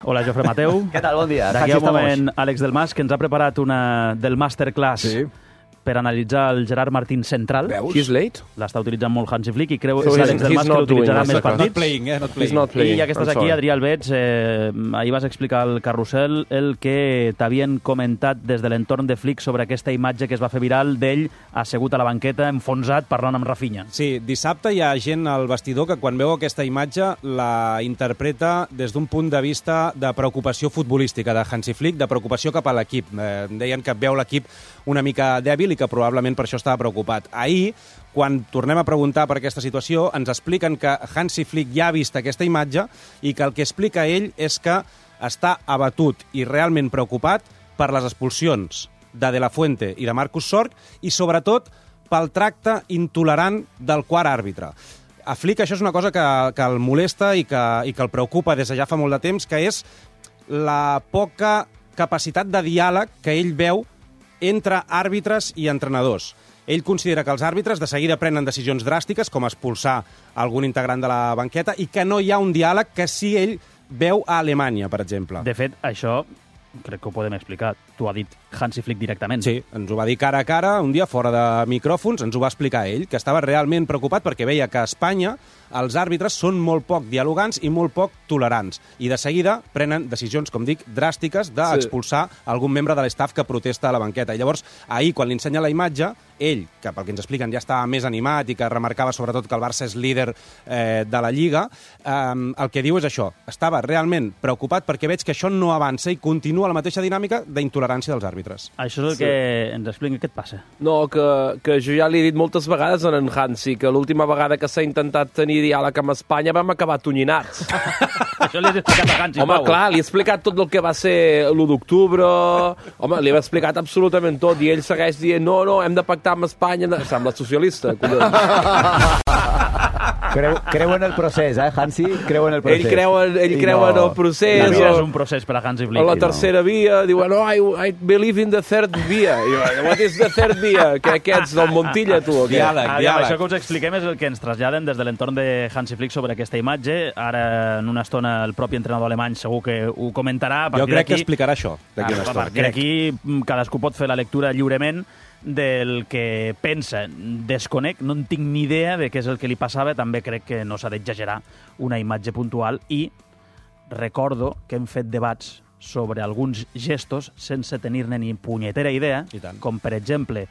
Hola, Jofre Mateu. Què tal? Bon dia. D'aquí a un moment, Àlex del Mas, que ens ha preparat una del masterclass per analitzar el Gerard Martín central. Veus? He's late? L'està utilitzant molt Hansi Flick i creu So que Àlex del he's Mas que not l'utilitzarà doing més masterclass. partits. Not playing. He's not playing. I ja que estàs I'm aquí, sorry. Adrià Albets, ahir vas explicar al carrusel el que t'havien comentat des de l'entorn de Flick sobre aquesta imatge que es va fer viral d'ell assegut a la banqueta, enfonsat, parlant amb Rafinha. Sí, dissabte hi ha gent al vestidor que quan veu aquesta imatge la interpreta des d'un punt de vista de preocupació futbolística de Hansi Flick, de preocupació cap a l'equip. Deien que veu l'equip una mica dèbil i que probablement per això estava preocupat. Ahir, quan tornem a preguntar per aquesta situació, ens expliquen que Hansi Flick ja ha vist aquesta imatge i que el que explica ell és que està abatut i realment preocupat per les expulsions de La Fuente i de Marcus Sorg i, sobretot, pel tracte intolerant del quart àrbitre. A Flick això és una cosa que el molesta i que el preocupa des de ja fa molt de temps, que és la poca capacitat de diàleg que ell veu entre àrbitres i entrenadors. Ell considera que els àrbitres de seguida prenen decisions dràstiques, com expulsar algun integrant de la banqueta, i que no hi ha un diàleg que sí ell veu a Alemanya, per exemple. De fet, això crec que ho podem explicar. T'ho ha dit Hansi Flick directament. Sí, ens ho va dir cara a cara, un dia fora de micròfons, ens ho va explicar ell, que estava realment preocupat perquè veia que a Espanya els àrbitres són molt poc dialogants i molt poc tolerants. I de seguida prenen decisions, com dic, dràstiques d'expulsar algun membre de l'estaf que protesta a la banqueta. I llavors, ahir, quan li ensenya la imatge, ell, que pel que ens expliquen ja estava més animat i que remarcava sobretot que el Barça és líder de la Lliga, el que diu és això. Estava realment preocupat perquè veig que això no avança i continua la mateixa dinàmica d'intolerància dels àrbitres. Això és el que ens explica. Què et passa? No, que jo ja li he dit moltes vegades a en Hansi que l'última vegada que s'ha intentat tenir diàleg amb Espanya vam acabar tonyinats. Això li has explicat a Hansi, Home, Pau. clar, li he explicat tot el que va ser l'1 d'octubre. Home, li he explicat absolutament tot i ell segueix dient no, hem de pactar amb Espanya. Sembla socialista, collons. Creu en el procés, Hansi? Creu en el procés. Ell creu en el procés. La vida és un procés per a Hansi Flick. A la tercera via, diuen, I believe in the third via. I diuen, what is the third via? Què ets, del Montilla, tu? O què? Diàleg. Això que us expliquem és el que ens traslladen des de l'entorn de Hansi Flick sobre aquesta imatge. Ara, en una estona, el propi entrenador alemany segur que ho comentarà. Jo crec que explicarà això d'aquí una A estona. partir d'aquí, cadascú pot fer la lectura lliurement del que pensa. Desconec, no en tinc ni idea de què és el que li passava. També crec que no s'ha d'exagerar una imatge puntual i recordo que hem fet debats sobre alguns gestos sense tenir-ne ni punyetera idea, com per exemple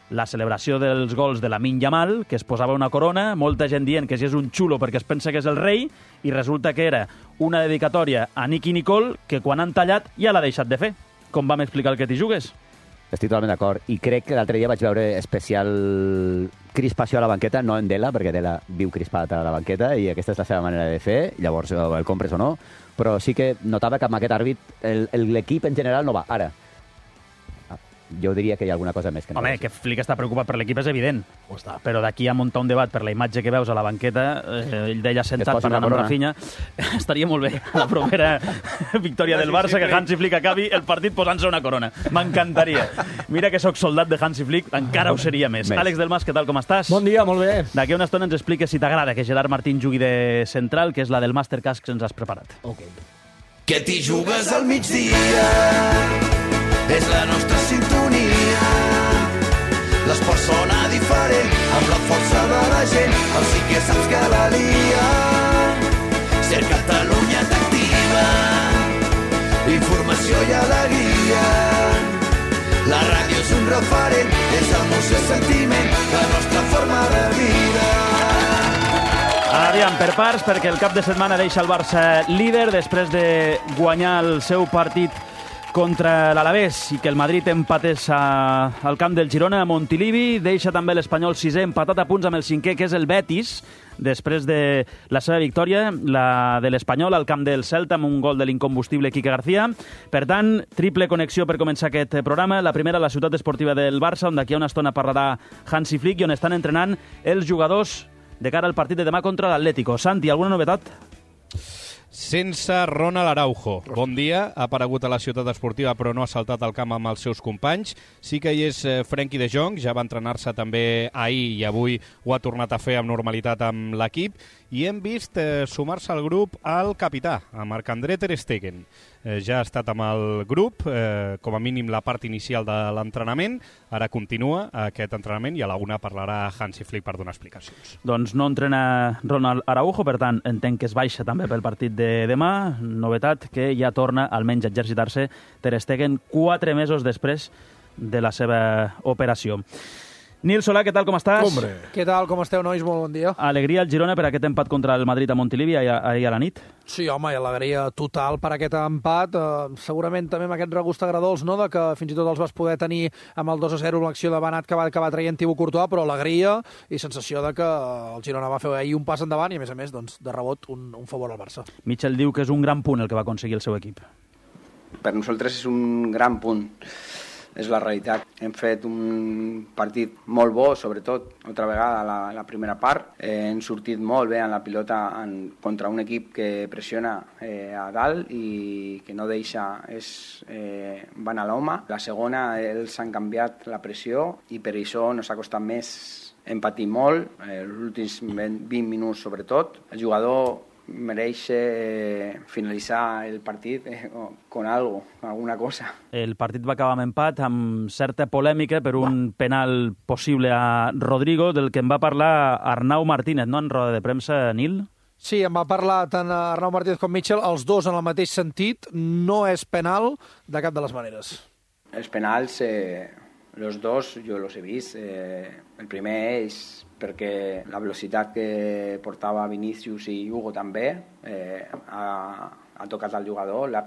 la celebració dels gols de Lamine Yamal, que es posava una corona, molta gent dient que si és un xulo perquè es pensa que és el rei, i resulta que era una dedicatòria a Nicky Nicole que quan han tallat ja l'ha deixat de fer. Com vam explicar el que t'hi jugues? Estic totalment d'acord. I crec que l'altre dia vaig veure especial crispació a la banqueta, no en Dela, perquè Dela viu crispat a la banqueta i aquesta és la seva manera de fer, llavors el compres o no, però sí que notava que amb aquest àrbit l'equip en general no va. Ara, jo diria que hi ha alguna cosa més que no. Home, que Flick està preocupat per l'equip és evident. Però d'aquí a muntar un debat per la imatge que veus a la banqueta, ell d'ella sentat parlant amb Rafinha, estaria molt bé a la propera victòria del Barça que Hansi Flick acabi el partit posant-se una corona. M'encantaria. Mira que sóc soldat de Hansi Flick, encara ho seria més. Àlex del Mas, què tal, com estàs? Bon dia, molt bé. D'aquí a una estona ens expliques si t'agrada que Gerard Martín jugui de central, que és la del masterclass que ens has preparat. Que t'hi jugues al migdia és la nostra sintonia. L'esport sona diferent amb la força de la gent. El sí que saps que la lia. Ser Catalunya t'activa. Informació i alegria. La ràdio és un referent. És emoció i sentiment. La nostra forma de vida. Aviam, per parts, perquè el cap de setmana deixa el Barça líder després de guanyar el seu partit contra l'Alavés i que el Madrid empatés al camp del Girona a Montilivi. Deixa també l'Espanyol sisè, empatat a punts amb el cinquè, que és el Betis, després de la seva victòria, la de l'Espanyol al camp del Celta amb un gol de l'incombustible Quique García. Per tant, triple connexió per començar aquest programa. La primera a la ciutat esportiva del Barça, on d'aquí a una estona parlarà Hansi Flick i on estan entrenant els jugadors de cara al partit de demà contra l'Atlético. Santi, alguna novetat? Sense Ronald Araujo. Bon dia, ha aparegut a la ciutat esportiva però no ha saltat al camp amb els seus companys. Sí que hi és Frenkie de Jong, ja va entrenar-se també ahir i avui ho ha tornat a fer amb normalitat amb l'equip. i hem vist sumar-se al grup al capità, a Marc-André ter Stegen. Ja ha estat amb el grup, com a mínim la part inicial de l'entrenament, ara continua aquest entrenament i a la una parlarà Hansi Flick per donar explicacions. Doncs no entrena Ronald Araujo, per tant entenc que es baixa també pel partit de demà. Novetat que ja torna almenys a exercitar-se ter Stegen 4 mesos després de la seva operació. Nil Solà, què tal, com estàs? Hombre. Què tal, com esteu, nois? Molt bon dia. Alegria al Girona per aquest empat contra el Madrid a Montilivi ahir a la nit? Sí, home, i alegria total per aquest empat. Segurament també amb aquest regust agradolç, no?, de que fins i tot els vas poder tenir amb el 2-0 l'acció de Benat que va acabar traient Thibaut Courtois, però alegria i sensació de que el Girona va fer ahir un pas endavant i, a més, doncs, de rebot, un favor al Barça. Mitchell diu que és un gran punt el que va aconseguir el seu equip. Per nosaltres és un gran punt. És la realitat. Hem fet un partit molt bo, sobretot, altra vegada, la primera part. Hem sortit molt bé en la pilota contra un equip que pressiona a dalt i que no deixa, van a l'home. La segona, ells han canviat la pressió i per això ens ha costat més. Hem patit molt, els últims 20 minuts sobretot. El jugador mereix finalitzar el partit con algo, alguna cosa. El partit va acabar amb empat, amb certa polèmica per un penal possible a Rodrigo, del que en va parlar Arnau Martínez, no?, en roda de premsa, Nil? Sí, en va parlar tant Arnau Martínez com Mitchell, els dos en el mateix sentit. No és penal de cap de les maneres. Els penals, los dos, jo los he vist. El primer és perquè la velocitat que portava Vinícius i Hugo també ha tocat al jugador, l'ha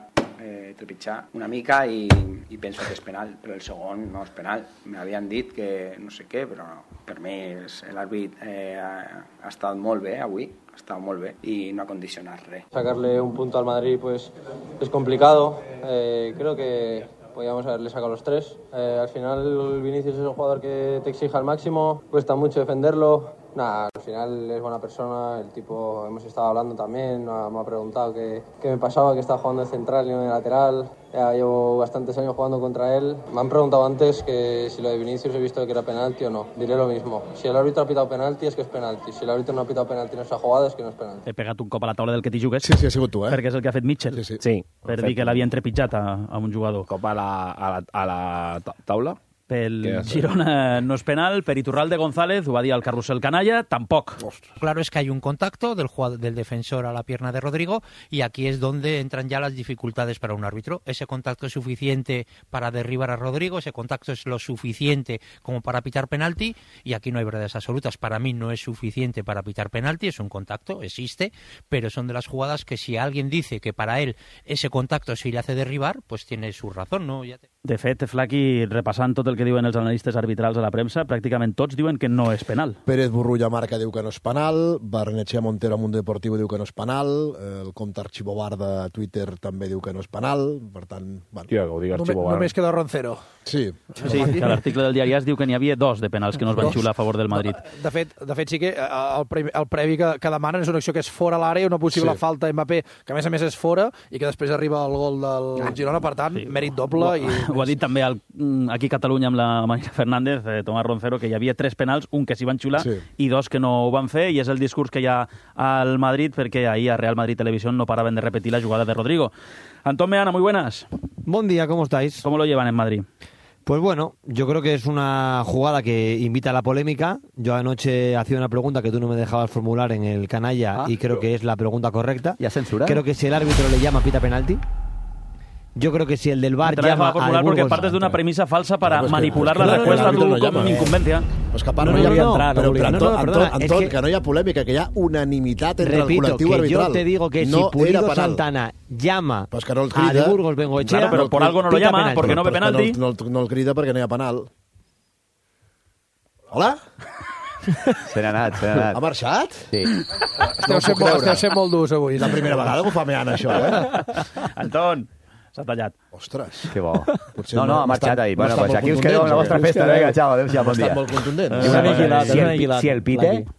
trepitjat una mica i penso que és penal, però el segon no és penal. M'havien dit que no sé què, però per mi l'àrbit ha estat molt bé avui, ha estat molt bé i no ha condicionat res. Sacarle un punto al Madrid pues es complicado, creo que podíamos haberle sacado los 3. Al final Vinicius es un jugador que te exige al máximo, cuesta mucho defenderlo. Nada, al final es buena persona, el tipo, hemos estado hablando también, me ha preguntado qué me pasaba, que estaba jugando de central y no de lateral. Ya llevo bastantes años jugando contra él. Me han preguntado antes que si lo de Vinicius he visto que era penalti o no. Diré lo mismo. Si el árbitro ha pitado penalti es que es penalti. Si el árbitro no ha pitado penalti en esa jugada es que no es penalti. He pegat un cop a la taula del que t'hi jugues. Sí, ha sigut tu, Perquè és el que ha fet Mitchell. Sí. Per dir que l'havia entrepitjat a un jugador. Cop a la taula? Pel Girona no es penal, per Iturralde González, ho va dir al Carrusel Canalla, tampoc. Claro, es que hay un contacto del defensor a la pierna de Rodrigo y aquí es donde entran ya las dificultades para un árbitro. Ese contacto es suficiente para derribar a Rodrigo, ese contacto es lo suficiente como para pitar penalti y aquí no hay verdades absolutas. Para mí no es suficiente para pitar penalti, es un contacto, existe, pero son de las jugadas que si alguien dice que para él ese contacto sí le hace derribar, pues tiene su razón, ¿no? De fet, Flaqui, repassant tot el que diuen els analistes arbitrals a la premsa, pràcticament tots diuen que no és penal. Pérez Burrulla Marca diu que no és penal, Barnechea Montero a Mundo Deportivo diu que no és penal, el compte Archibobar de Twitter també diu que no és penal, per tant... Bueno. Tia, que ho digui Archibobar. Només queda Roncero. Sí, que l'article del diari AS diu que n'hi havia 2 de penals que no es van xiular a favor del Madrid. De fet sí que el previ que demanen és una acció que és fora l'àrea, una possible falta a Mbappé, que a més és fora, i que després arriba el gol del Girona, per tant, mèrit doble. Ho ha dit també aquí a Catalunya amb la Marina Fernández, Tomàs Roncero, que hi havia 3 penals, un que s'hi van xiular i 2 que no ho van fer, i és el discurs que hi ha al Madrid, perquè ahir a Real Madrid Televisión no paraven de repetir la jugada de Rodrigo. Antón Meana, muy buenas. Buen día, ¿cómo estáis? ¿Cómo lo llevan en Madrid? Pues bueno, yo creo que es una jugada que invita a la polémica. Yo anoche hacía una pregunta que tú no me dejabas formular en el canalla y creo que es la pregunta correcta. ¿Ya censura? Creo que si el árbitro le llama pita penalti. Yo creo que si el del VAR llama al Burgos... Porque partes de una premisa falsa para manipular la respuesta a tu com incumbencia. Pues que a part no hi ha... Però, Anton, que no hi ha polèmica, que hi ha unanimitat entre el col·lectiu arbitral. Repito, que yo te digo que si Pulido Santana llama a de Burgos Bengoechea... Claro, pero por algo no lo llama, porque no ve penalti. No el crida perquè no hi ha penal. Hola? Se n'ha anat. Ha marxat? Sí. Esteu sent molt durs avui. És la primera vegada que ho fa Meana, això, Anton, s'ha tallat. Ostres. Que bo. No, ha marxat ahí. Bueno, pues aquí us quedeu amb la vostra festa. Vinga, xau, adéu-siau, bon dia. Ha estat molt contundent.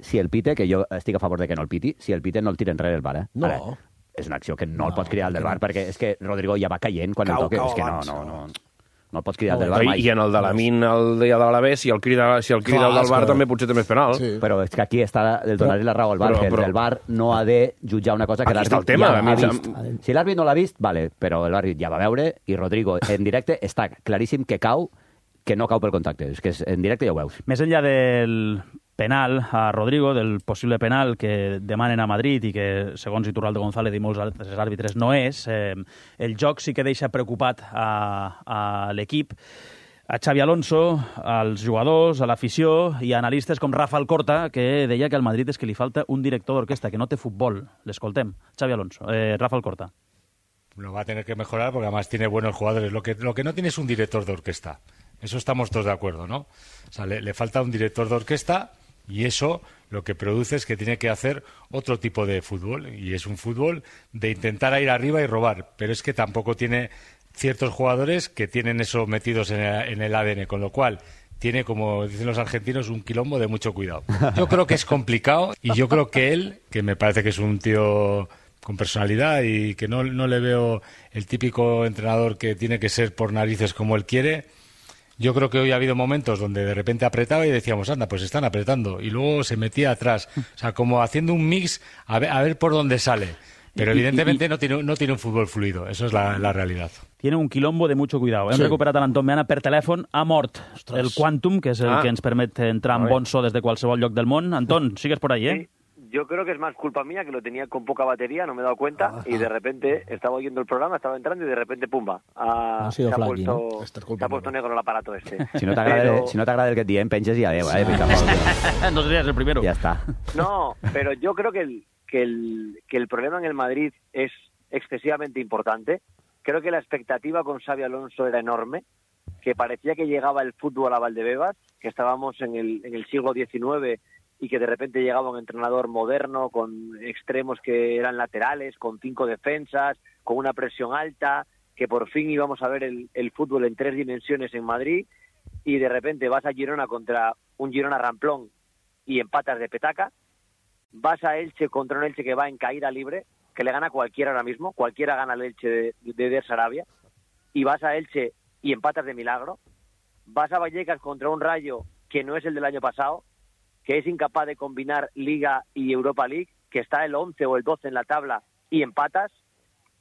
Si el pite, que jo estic a favor de que no el piti, si el pite no el tira enrere el VAR, No. Ara, és una acció que no el pots cridar al del VAR, perquè és que Rodrigo ja va caient quan el toca. És que no. No el pots cridar del bar mai. I en el de l'Amin, el dia de l'Alavés, si el crida el del bar també potser també és penal. Sí. Però és que aquí el donaré la raó al bar, que el bar no ha de jutjar una cosa que l'àrbit ja ha vist. Si l'àrbit no l'ha vist, vale, però l'àrbit ja va veure i Rodrigo en directe està claríssim que no cau pel contacte. És que en directe ja ho veus. Més enllà del penal a Rodrigo, del possible penal que demanen a Madrid i que, segons Iturralde González i molts altres àrbitres, no és, el joc sí que deixa preocupat a l'equip, a Xavi Alonso, als jugadors, a l'afició i a analistes com Rafael Corta, que deia que al Madrid és que li falta un director d'orquestra, que no té futbol. L'escoltem. Xavi Alonso. Rafael Corta. Lo va a tener que mejorar porque además tiene buenos jugadores. Lo que no tiene es un director de orquesta. Eso estamos todos de acuerdo, ¿no? O sea, le falta un director de orquesta y eso lo que produce es que tiene que hacer otro tipo de fútbol. Y es un fútbol de intentar ir arriba y robar. Pero es que tampoco tiene ciertos jugadores que tienen eso metidos en el ADN, con lo cual tiene, como dicen los argentinos, un quilombo de mucho cuidado. Yo creo que es complicado y yo creo que él, que me parece que es un tío con personalidad y que no le veo el típico entrenador que tiene que ser por narices como él quiere. Yo creo que hoy ha habido momentos donde de repente apretaba y decíamos, anda, pues están apretando. Y luego se metía atrás. O sea, como haciendo un mix a ver por dónde sale. Pero evidentemente no tiene un fútbol fluido. Eso es la realidad. Tiene un quilombo de mucho cuidado. Hem recuperat a l'Anton Meana per telèfon. Ha mort el Quantum, que és el que ens permet entrar en bon so des de qualsevol lloc del món. Anton, sigues por ahí, ¿eh? Yo creo que es más culpa mía, que lo tenía con poca batería, no me he dado cuenta, y de repente estaba oyendo el programa, estaba entrando y de repente, pumba, se ha puesto negro el aparato este. Si no t'agrada el que et diem, penges i adeu, No serías el primero. Ya está. No, pero yo creo que el problema en el Madrid es excesivamente importante. Creo que la expectativa con Xavi Alonso era enorme, que parecía que llegaba el fútbol a Valdebebas, que estábamos en el siglo XIX y que de repente llegaba un entrenador moderno con extremos que eran laterales, con 5 defensas, con una presión alta, que por fin íbamos a ver el fútbol en 3 dimensiones en Madrid, y de repente vas a Girona contra un Girona ramplón y empatas de petaca, vas a Elche contra un Elche que va en caída libre, que le gana cualquiera ahora mismo, cualquiera gana el Elche de Sarabia, y vas a Elche y empatas de milagro, vas a Vallecas contra un Rayo que no es el del año pasado, que es incapaz de combinar Liga y Europa League, que está el 11 o el 12 en la tabla y empatas,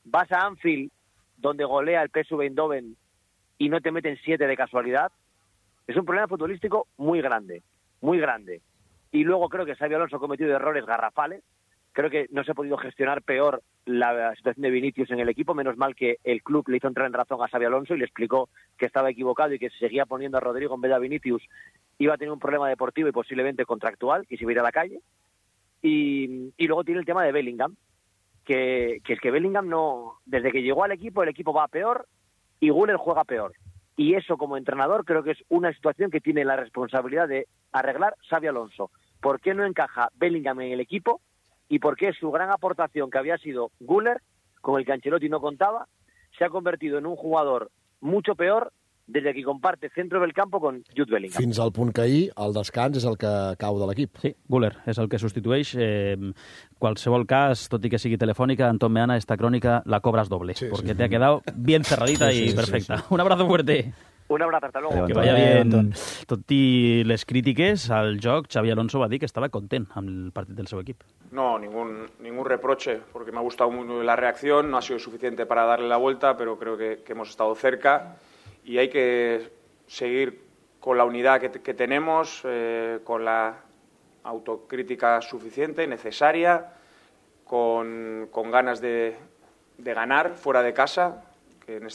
vas a Anfield, donde golea el PSV Eindhoven y no te meten 7 de casualidad. Es un problema futbolístico muy grande, muy grande. Y luego creo que Xabi Alonso ha cometido errores garrafales. Creo que no se ha podido gestionar peor la situación de Vinicius en el equipo. Menos mal que el club le hizo entrar en razón a Xabi Alonso y le explicó que estaba equivocado y que si seguía poniendo a Rodrigo en vez de a Vinicius iba a tener un problema deportivo y posiblemente contractual y se iba a ir a la calle. Y luego tiene el tema de Bellingham, que es que Bellingham no, desde que llegó al equipo, el equipo va peor y Güler juega peor. Y eso, como entrenador, creo que es una situación que tiene la responsabilidad de arreglar Xabi Alonso. ¿Por qué no encaja Bellingham en el equipo? Y por qué su gran aportación, que había sido Güler, con el que Ancelotti no contaba, se ha convertido en un jugador mucho peor des que comparte centre del campo con Jude Bellingham. Fins al punt que ahir el descans és el que cau de l'equip. Sí, Güler és el que substitueix. Qualsevol cas, tot i que sigui telefònica, Anton Meana, esta crònica la cobras doble, porque te ha quedado bien cerradita y perfecta. Sí. Un abrazo fuerte. Un abrazo, hasta luego. Que vaya bien. Tot i les crítiques al joc, Xavi Alonso va dir que estava content amb el partit del seu equip. No, ningún reproche, porque me ha gustado muy la reacción, no ha sido suficiente para darle la vuelta, pero creo que hemos estado cerca y hay que seguir con la unidad que tenemos, con la autocrítica suficiente, necesaria, con ganas de ganar fuera de casa, que en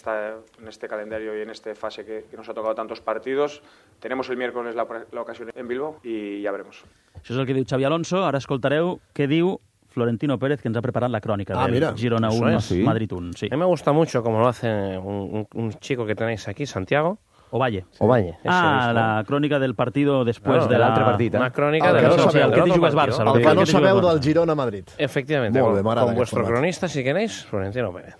este calendario y en esta fase que nos ha tocado tantos partidos. Tenemos el miércoles la ocasión en Bilbao y ya veremos. Això és el que diu Xavi Alonso. Ara escoltareu què diu Florentino Pérez, que ens ha preparado la crónica del Girona 1, Madrid 1. Sí. A mí me gusta mucho como lo hace un chico que tenéis aquí, Santiago. Ovalle. Ovalle. La crónica del partido después de l'altre partit. Una crónica del otro partido. El que te jugues Barça. El que no sabeu del Girona Madrid. Efectivamente. Con vuestro cronista, si queréis, Florentino Pérez.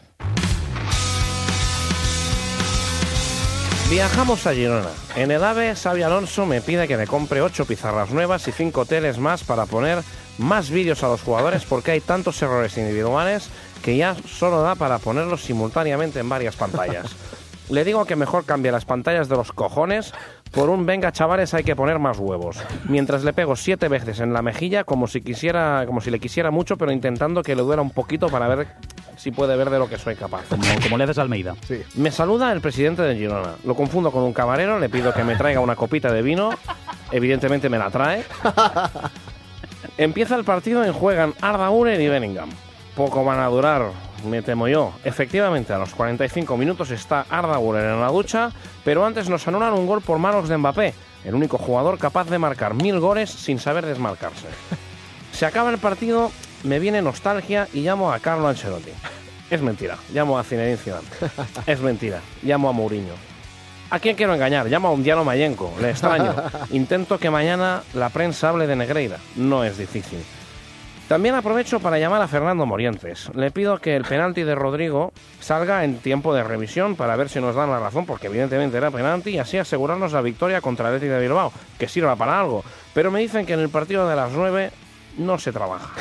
Viajamos a Girona. En el AVE, Xavi Alonso me pide que le compre 8 pizarras nuevas y 5 teles más para poner más vídeos a los jugadores porque hay tantos errores individuales que ya solo da para ponerlos simultáneamente en varias pantallas. Le digo que mejor cambie las pantallas de los cojones por un venga chavales hay que poner más huevos. Mientras le pego 7 veces en la mejilla como si le quisiera mucho, pero intentando que le duela un poquito para ver si puede ver de lo que soy capaz. Como le haces a Almeida. Sí. Me saluda el presidente de Girona. Lo confundo con un camarero, le pido que me traiga una copita de vino. Evidentemente me la trae. Empieza el partido y juegan Arda Güler y Bellingham. Poco van a durar, me temo yo. Efectivamente, a los 45 minutos está Arda Güler en la ducha, pero antes nos anulan un gol por manos de Mbappé, el único jugador capaz de marcar 1000 goles sin saber desmarcarse. Se acaba el partido, me viene nostalgia y llamo a Carlo Ancelotti. Es mentira, llamo a Zinedine Zidane. Es mentira, llamo a Mourinho. ¿A quién quiero engañar? Llamo a un Diano Mayenko, le extraño. Intento que mañana la prensa hable de Negreira. No es difícil. También aprovecho para llamar a Fernando Morientes. Le pido que el penalti de Rodrigo salga en tiempo de revisión para ver si nos dan la razón, porque evidentemente era penalti, y así asegurarnos la victoria contra el Athletic de Bilbao, que sirva para algo. Pero me dicen que en el partido de las 9 no se trabaja.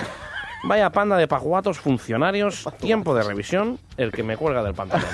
Vaya panda de pajuatos funcionarios, tiempo de revisión, el que me cuelga del pantalón.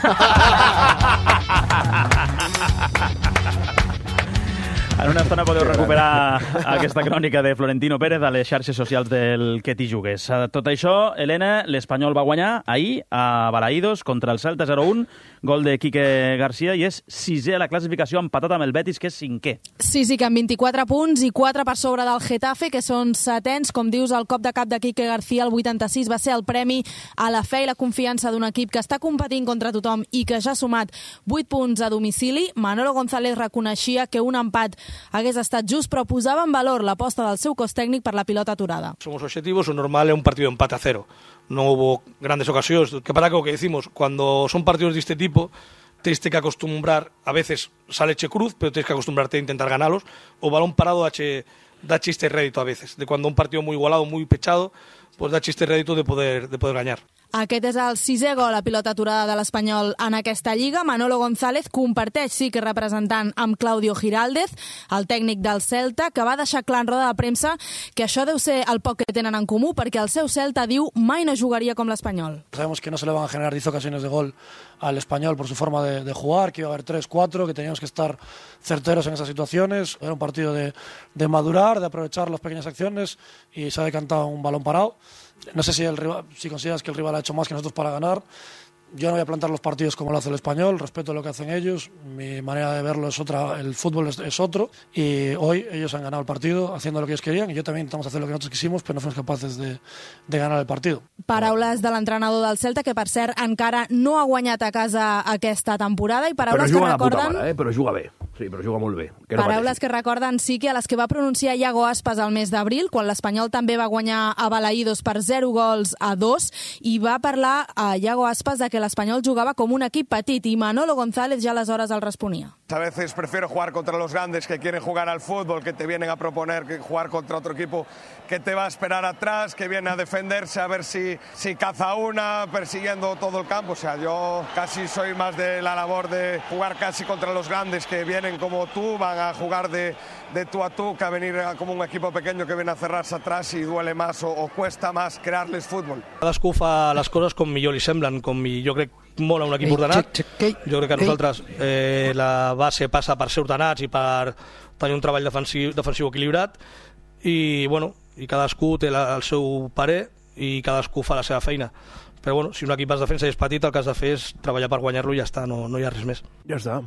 En una estona podeu recuperar aquesta crònica de Florentino Pérez a les xarxes socials del Que t'hi jugues. Tot això, Helena, l'Espanyol va guanyar ahir a Balaïdos contra el Celta 0-1, gol de Quique García, i és sisè a la classificació, empatat amb el Betis, que és cinquè. Sí, que amb 24 punts i 4 per sobre del Getafe, que són setens. Com dius, el cop de cap de Quique García, el 86, va ser el premi a la fe i la confiança d'un equip que està competint contra tothom i que ja ha sumat 8 punts a domicili. Manolo González reconeixia que un empat hagués estat just, però posava en valor l'aposta del seu cos tècnic per la pilota aturada. Somos objetivos, lo normal es un partido de empate a 0. No hubo grandes ocasiones. ¿Qué pasa con lo que decimos? Cuando son partidos de este tipo, tienes que acostumbrar, a veces sale che cruz, pero tienes que acostumbrarte a intentar ganarlos, o balón parado da chiste rédito a veces. De cuando un partido muy igualado, muy pechado, pues da chiste rédito de poder ganar. Aquest és el 6è gol a pilota aturada de l'Espanyol en aquesta lliga. Manolo González comparteix, sí que representant amb Claudio Giraldez, el tècnic del Celta, que va deixar clar en roda de premsa que això deu ser el poc que tenen en comú, perquè el seu Celta, diu, mai no jugaria com l'Espanyol. Sabemos que no se le van a generar 10 ocasiones de gol al Español por su forma de jugar, que iba a haber 3, 4, que teníamos que estar certeros en esas situaciones. Era un partido de madurar, de aprovechar las pequeñas acciones, y se ha decantado un balón parado. No sé si consideras que el rival ha hecho más que nosotros para ganar. Yo no voy a plantar los partidos como lo hace el Español, respeto lo que hacen ellos, mi manera de verlo es otra, el fútbol es otro, y hoy ellos han ganado el partido haciendo lo que ellos querían, y yo también intentamos hacer lo que nosotros quisimos, pero no fuimos capaces de ganar el partido. Paraules de l'entrenador del Celta, que per cert encara no ha guanyat a casa aquesta temporada, i paraules que recorden... Però juga bé, sí, però juga molt bé. Paraules que recorden, sí, que a les que va pronunciar Iago Aspas al mes d'abril, quan l'Espanyol també va guanyar a Balaïdos per 0-2, i va parlar a Iago Aspas de que l'Espanyol jugava com un equip petit, i Manolo González ja aleshores el responia. A veces prefiero jugar contra los grandes que quieren jugar al fútbol, que te vienen a proponer que jugar contra otro equipo que te va a esperar atrás, que viene a defenderse, a ver si caza una, persiguiendo todo el campo. O sea, yo casi soy más de la labor de jugar casi contra los grandes que vienen como tú, van a jugar de tú a tú, que a venir como un equipo pequeño que viene a cerrarse atrás y duele más o cuesta más crearles fútbol. Cadascú fa les coses com millor li semblen, jo crec molt a un equip ordenat. Jo crec que nosaltres la base passa per ser ordenats i per tenir un treball defensiu equilibrat, i bueno, i cadascú té el seu parer i cadascú fa la seva feina. Però bueno, si un equip es defensa i és petit, el que has de fer és treballar per guanyar-lo i ja està, no hi ha res més. Ja està.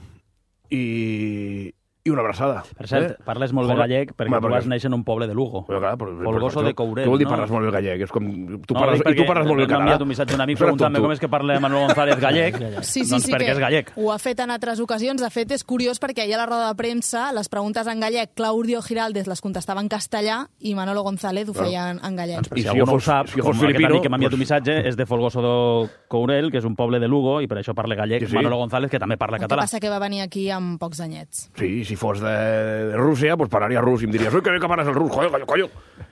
I una abraçada. Per cert, parles molt bé gallec perquè tu vas néixer en un poble de Lugo. Folgoso de Courel, no? Què vol dir no? parles molt bé gallec? És com... Tu parles molt bé català. M'ha enviat un missatge un amic preguntant-me com és que parla Manolo González gallec. Sí, doncs perquè és gallec. Ho ha fet en altres ocasions. De fet, és curiós perquè ahir a la roda de premsa les preguntes en gallec, Claudio Giraldez les contestava en castellà i Manolo González ho feia en gallec. Si algú no ho sap, com aquest amic que m'ha enviat un missatge, és de Folgoso de Courel, que és un poble de Lugo, i per això parla gallec Manolo González, que també parla català. El que passa que va venir aquí amb pocs anyets. Sí, si fos de Rússia, pues parlaria rus i em diries, oi, que bé que parles el rus, coño,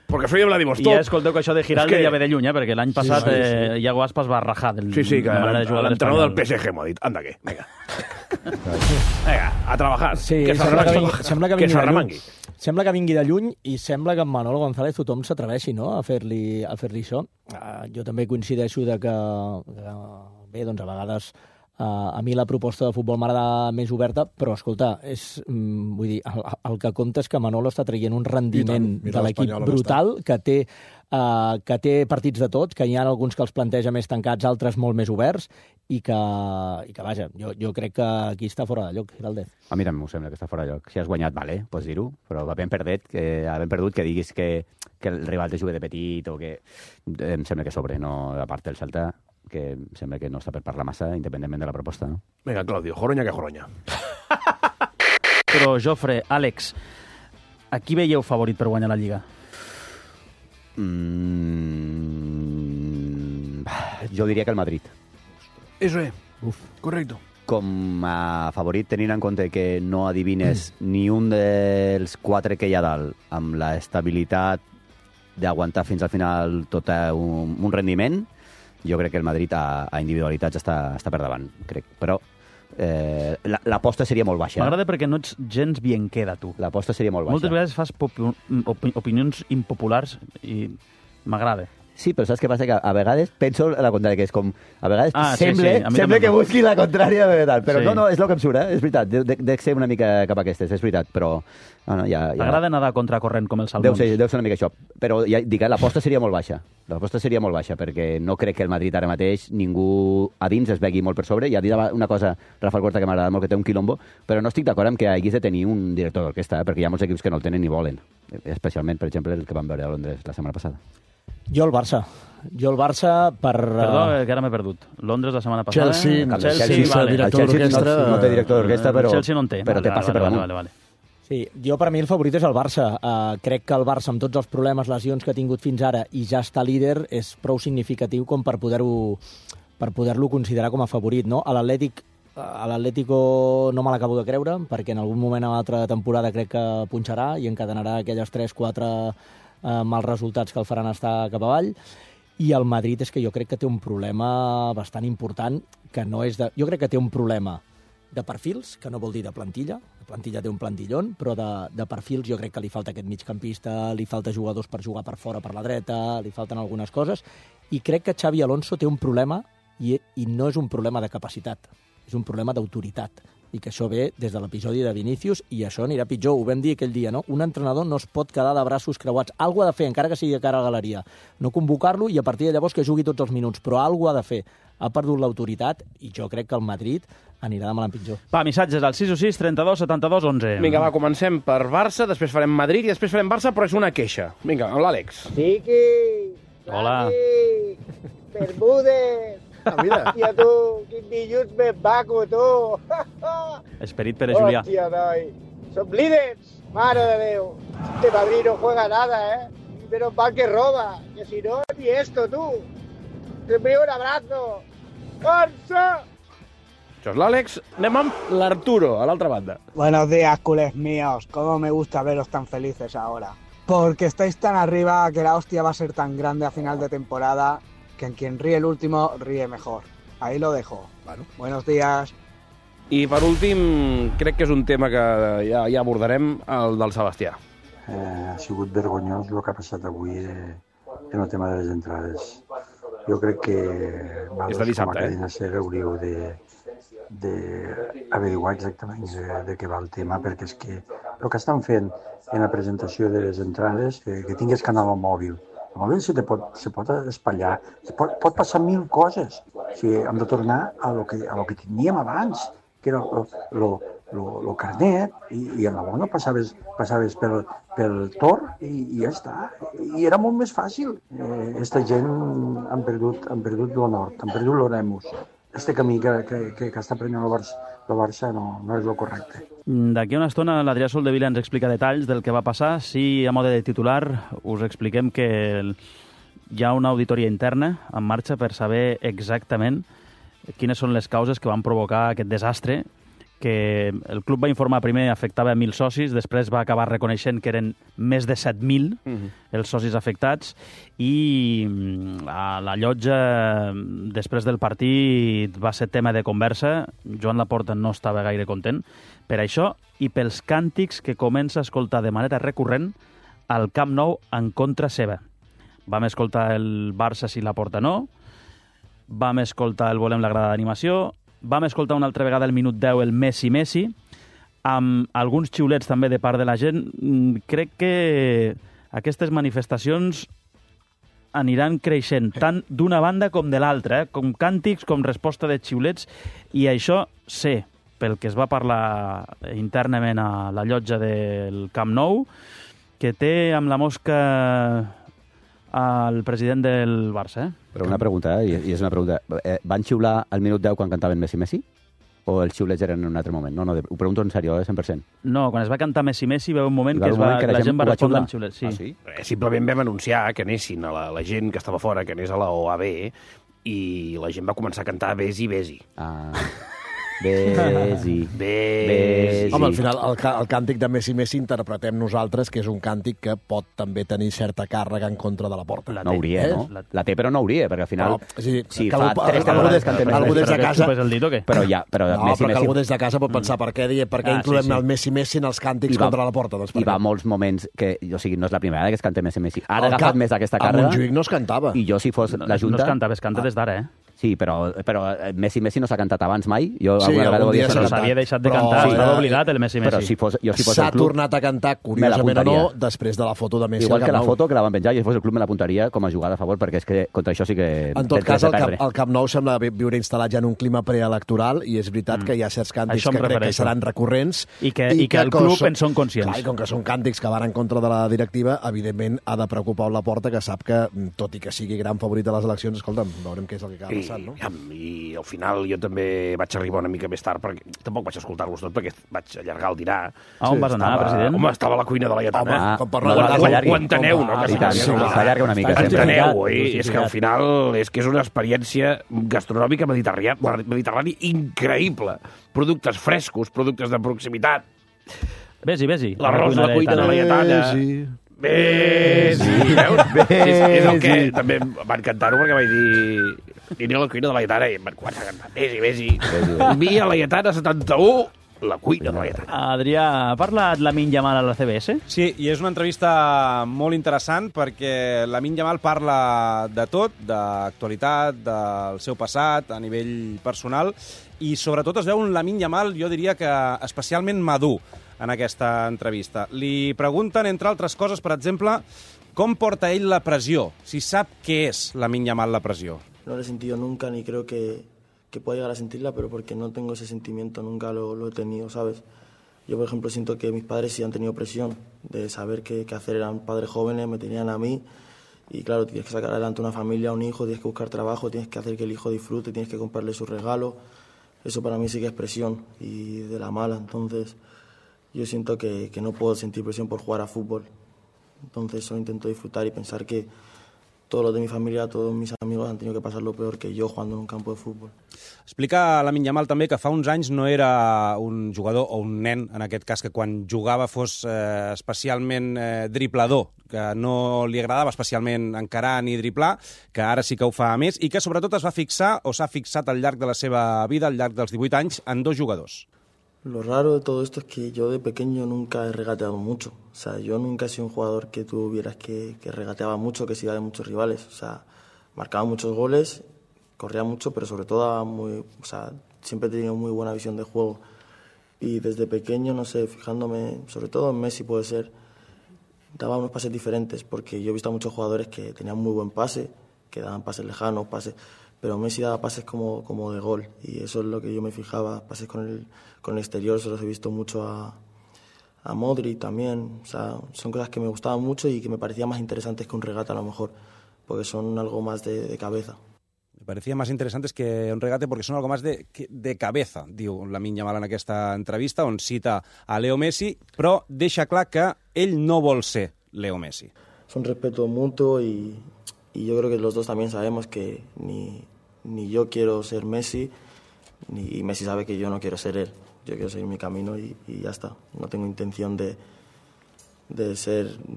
perquè soy de Vladivostok. I ja escolteu que això de Giraldez ja ve de lluny, perquè l'any passat Iago Aspas va rajar de manera de jugar a l'entrenador del PSG m'ho ha dit, anda que, vinga. Vinga, a trabajar. Sí, que sembla que vingui de lluny i sembla que amb Manolo González tothom s'atreveixi, no?, a fer-li això. Jo també coincideixo de que bé, doncs a vegades A mi la proposta de futbol m'agrada més oberta, però, escolta, vull dir, el que compta és que Manolo està traient un rendiment de l'equip brutal, que té partits de tots, que hi ha alguns que els planteja més tancats, altres molt més oberts, i que vaja, jo crec que aquí està fora de lloc, Giraldez. A mi també m'ho sembla que està fora de lloc. Si has guanyat, vale, pots dir-ho, però havent perdut que diguis que el rival te juga de petit o que em sembla que sobre, no, a part del Celta, que em sembla que no està per parlar massa, independentment de la proposta, no? Vinga, Claudio, joroña que joroña. Però, Jofre, Àlex, a qui veieu favorit per guanyar la Lliga? Jo diria que el Madrid. Eso es. Correcto. Com a favorit, tenint en compte que no adivines ni un dels 4 que hi ha dalt, amb la estabilitat d'aguantar fins al final tot un rendiment, jo crec que el Madrid a individualitats està per davant, crec. Però l'aposta seria molt baixa. M'agrada perquè no ets gens bien queda, tu. L'aposta seria molt baixa. Moltes vegades fas opinions impopulars i m'agrada. Sí, però saps què passa? Que a vegades penso la contrària, que és com... A vegades sembla que no. busqui la contrària de tal, però sí. No, és el que em surt, és veritat. Dec ser una mica cap a aquestes, és veritat, però... T'agrada nedar contra corrent com els salmons? Deu ser una mica això, però ja dic, l'aposta seria molt baixa. L'aposta seria molt baixa, perquè no crec que el Madrid ara mateix ningú a dins es vegui molt per sobre. Ja dit una cosa, Rafael Corta, que m'agrada molt, que té un quilombo, però no estic d'acord amb que haguis de tenir un director d'orquestra, perquè hi ha molts equips que no el tenen ni volen. Especialment, per exemple, el que vam veure a Londres la setmana passada. Jo el Barça per... Perdó, que ara m'he perdut. Londres la setmana passada... Chelsea, vale. director d'orquestra... No té director d'orquestra, però... Chelsea no en té. Però té passe per damunt. Vale. Sí, jo per mi el favorit és el Barça. Crec que el Barça, amb tots els problemes, lesions que ha tingut fins ara, i ja està líder, és prou significatiu com per poder-lo considerar com a favorit, no? A l'Atlético no me l'acabo de creure, perquè en algun moment a l'altra temporada crec que punxarà i encadenarà aquelles 3-4 mals resultats que el faran estar cap avall. I el Madrid és que jo crec que té un problema bastant important, que no és de... Jo crec que té un problema de perfils, que no vol dir de plantilla. La plantilla té un plantillón, però de perfils jo crec que li falta aquest migcampista, li falta jugadors per jugar per fora, per la dreta, li falten algunes coses, i crec que Xavi Alonso té un problema, i no és un problema de capacitat, és un problema d'autoritat, i que això ve des de l'episodi de Vinícius, i això anirà pitjor. Ho vam dir aquell dia, no? Un entrenador no es pot quedar de braços creuats. Algú ha de fer, encara que sigui de cara a la galeria. No convocar-lo i a partir de llavors que jugui tots els minuts, però algú ha de fer. Ha perdut l'autoritat i jo crec que el Madrid anirà de mal en pitjor. Va, missatges al 616 32 72 11. Vinga, va, comencem per Barça, després farem Madrid i després farem Barça, però és una queixa. Vinga, amb l'Àlex. Chiqui! Hola. Bermúdez! Ah, mira. Hòstia, tu, quin dilluns més maco, tu! Esperit Pere Julià. Hòstia, noi, som líders! Mare de Déu! Este Madrid no juega nada, Menos mal que roba, que si no, ni esto, tú. Te envío un abrazo. ¡Barça! Això és l'Àlex. Anem amb l'Arturo, a l'altra banda. Buenos días, culés míos. Cómo me gusta veros tan felices ahora. Porque estáis tan arriba que la hostia va a ser tan grande a final de temporada que en quien ríe el último ríe mejor. Ahí lo dejo. Bueno. Buenos días. I per últim, crec que és un tema que ja abordarem, el del Sebastià. Ha sigut vergonyós el que ha passat avui en el tema de les entrades. Jo crec que és de dissabte, com a cadena SER hauríeu d'averiguar exactament de què va el tema, perquè és que el que estan fent en la presentació de les entrades, que tingués canal al mòbil. El mòbil se pot espatllar, pot passar mil coses. O sigui, hem de tornar a lo que teníem abans, que era el carnet, i en la bona passaves pel Tor i ja està. I era molt més fàcil. Esta gent han perdut l'honor, han perdut l'oremus. Este camí que està prenent el Barça no és el correcte. D'aquí a una estona l'Adrià Soldevila ens explica detalls del que va passar. Sí, a mode de titular, us expliquem que hi ha una auditoria interna en marxa per saber exactament quines són les causes que van provocar aquest desastre, que el club va informar primer afectava 1.000 socis, després va acabar reconeixent que eren més de 7.000 els socis afectats, i a la llotja, després del partit, va ser tema de conversa. Joan Laporta no estava gaire content per això i pels càntics que comença a escoltar de manera recurrent al Camp Nou en contra seva. Vam escoltar el Barça si Laporta no, vam escoltar el Volem la grada d'animació, vam escoltar una altra vegada el minut 10 el Messi, amb alguns xiulets també de part de la gent. Crec que aquestes manifestacions aniran creixent, tant d'una banda com de l'altra, com càntics, com resposta de xiulets, i això sé, pel que es va parlar internament a la llotja del Camp Nou, que té amb la mosca el president del Barça. Però una pregunta, i és una pregunta. Van xiular al minut 10 quan cantaven Messi? O els xiulets eren en un altre moment? No, ho pregunto en sèrio, 100%. No, quan es va cantar Messi, va un moment que la gent va respondre amb xiulets. Sí. Ah, sí? Simplement vam anunciar que anessin a la gent que estava fora, que anés a la OAB, i la gent va començar a cantar Besi, Besi. Ah... Besi. Home, al final, el càntic de Messi interpretem nosaltres que és un càntic que pot també tenir certa càrrega en contra de la porta. No hauria, no? La té, però no hauria, perquè al final... Si fa 3 temporades que algú des de casa... Però que algú des de casa pot pensar per què incloem el Messi en els càntics contra la porta. I va molts moments que... O sigui, no és la primera vegada que es canta Messi. Ara ha agafat més aquesta càrrega. A Montjuïc no es cantava. I jo, si fos la Junta... No es cantava, es canta des d'ara, Sí, però Messi no s'ha cantat abans mai. Jo algun dia s'havia deixat de cantar, estava obligat el Messi. Però si fos el club... S'ha tornat a cantar, curiosament o no, després de la foto de Messi. Igual que la foto que la van penjar, i si fos el club me l'apuntaria com a jugada a favor, perquè és que contra això sí que... En tot cas, el Camp Nou sembla viure instal·lat ja en un clima preelectoral, i és veritat que hi ha certs càntics que crec que seran recurrents. I que el club en són conscients. Clar, i com que són càntics que van en contra de la directiva, evidentment ha de preocupar la porta, que sap que, tot i que sigui gran favorit a les eleccions, escolta'm, veurem què és el que acaba passant, no? I al final jo també vaig arribar una mica més tard, perquè tampoc vaig escoltar-los tot, perquè vaig allargar el dinar. On vas anar, president? Home, estava a la cuina de la Lletana. Ho enteneu, no? S'allarga una mica. Enteneu, és que al final és una experiència gastronòmica mediterrània increïble. Productes frescos, productes de proximitat. Vés-hi. L'arròs a la cuina de la Lletana. Besi. És el que també van cantar-ho, perquè vaig dir... Aniré a la cuina de la Lletana i em van començar a cantar Besi. Via la Lletana 71, la cuina de la Lletana. Adrià, ha parlat Lamine Yamal a la CBS? Sí, i és una entrevista molt interessant perquè Lamine Yamal parla de tot, d'actualitat, del seu passat, a nivell personal, i sobretot es veu un Lamine Yamal, jo diria que especialment madur en aquesta entrevista. Li pregunten, entre altres coses, per exemple, com porta ell la pressió, si sap què és Lamine Yamal la pressió. No lo he sentido nunca, ni creo que pueda llegar a sentirla, pero porque no tengo ese sentimiento, nunca lo he tenido, ¿sabes? Yo, por ejemplo, siento que mis padres sí han tenido presión de saber qué hacer, eran padres jóvenes, me tenían a mí, y claro, tienes que sacar adelante una familia, un hijo, tienes que buscar trabajo, tienes que hacer que el hijo disfrute, tienes que comprarle sus regalos, eso para mí sí que es presión, y de la mala, entonces yo siento que no puedo sentir presión por jugar a fútbol, entonces solo intento disfrutar y pensar que todos los de mi familia, todos mis amigos han tenido que pasar lo peor que yo jugando en un campo de fútbol. Explica Lamine Yamal també que fa uns anys no era un jugador o un nen, en aquest cas, que quan jugava fos especialment driblador, que no li agradava especialment encarar ni driblar, que ara sí que ho fa més, i que sobretot es va fixar o s'ha fixat al llarg de la seva vida, al llarg dels 18 anys, en 2 jugadors. Lo raro de todo esto es que yo de pequeño nunca he regateado mucho. O sea, yo nunca he sido un jugador que tú vieras que regateaba mucho, que se iba de muchos rivales. O sea, marcaba muchos goles, corría mucho, pero sobre todo siempre he tenido muy buena visión de juego. Y desde pequeño, no sé, fijándome, sobre todo en Messi puede ser, daba unos pases diferentes, porque yo he visto a muchos jugadores que tenían muy buen pase, que daban pases lejanos, pero Messi daba pases como de gol, y eso es lo que yo me fijaba, pases con el exterior, se los he visto mucho a Modric también, o sea, son cosas que me gustaban mucho y que me parecían más interesantes que un regate a lo mejor, porque son algo más de cabeza. Me parecía más interesantes que un regate porque son algo más de cabeza, diu Lamine Yamal en aquesta entrevista, on cita a Leo Messi, però deixa clar que ell no vol ser Leo Messi. Es un respeto mutuo y yo creo que los dos también sabemos que ni yo quiero ser Messi, y Messi sabe que yo no quiero ser él. Yo quiero seguir mi camino y ya está. No tengo intención de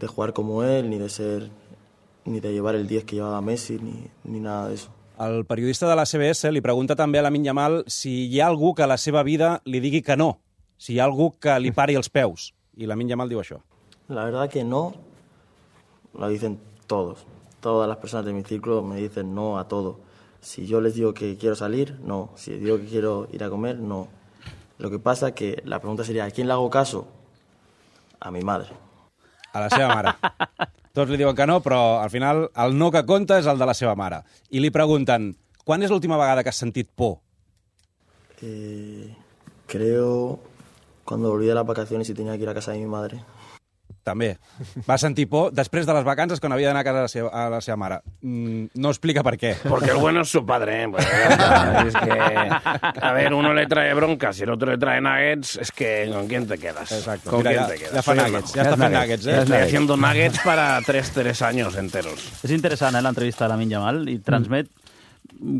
jugar como él, ni de llevar el 10 que llevaba Messi, ni nada de eso. El periodista de la CBS li pregunta també a Lamine Yamal si hi ha algú que a la seva vida li digui que no, si hi ha algú que li pari els peus. I Lamine Yamal diu això. La verdad que no, lo dicen todos. Todas las personas de mi círculo me dicen no a todo. O Si yo les digo que quiero salir, no. Si les digo que quiero ir a comer, no. Lo que pasa que la pregunta sería, ¿a quién le hago caso? A mi madre. A la seva mare. Tots li diuen que no, però al final el no que compta és el de la seva mare. I li pregunten, quan és l'última vegada que has sentit por? Creo cuando volví de las vacaciones y tenía que ir a casa de mi madre. També. Va sentir por després de les vacances quan havia d'anar a casa a la seva mare. No explica per què. Porque el bueno es su padre, ¿eh? Pues, es que, a ver, uno le trae broncas y el otro le trae nuggets, es que ¿con quién te quedas? Exacto. ¿Con Mira, quién te quedas? ya fa nuggets, ya està fent nuggets, eh? Estoy haciendo nuggets para tres años enteros. És interessant, l'entrevista de Lamine Yamal, i transmet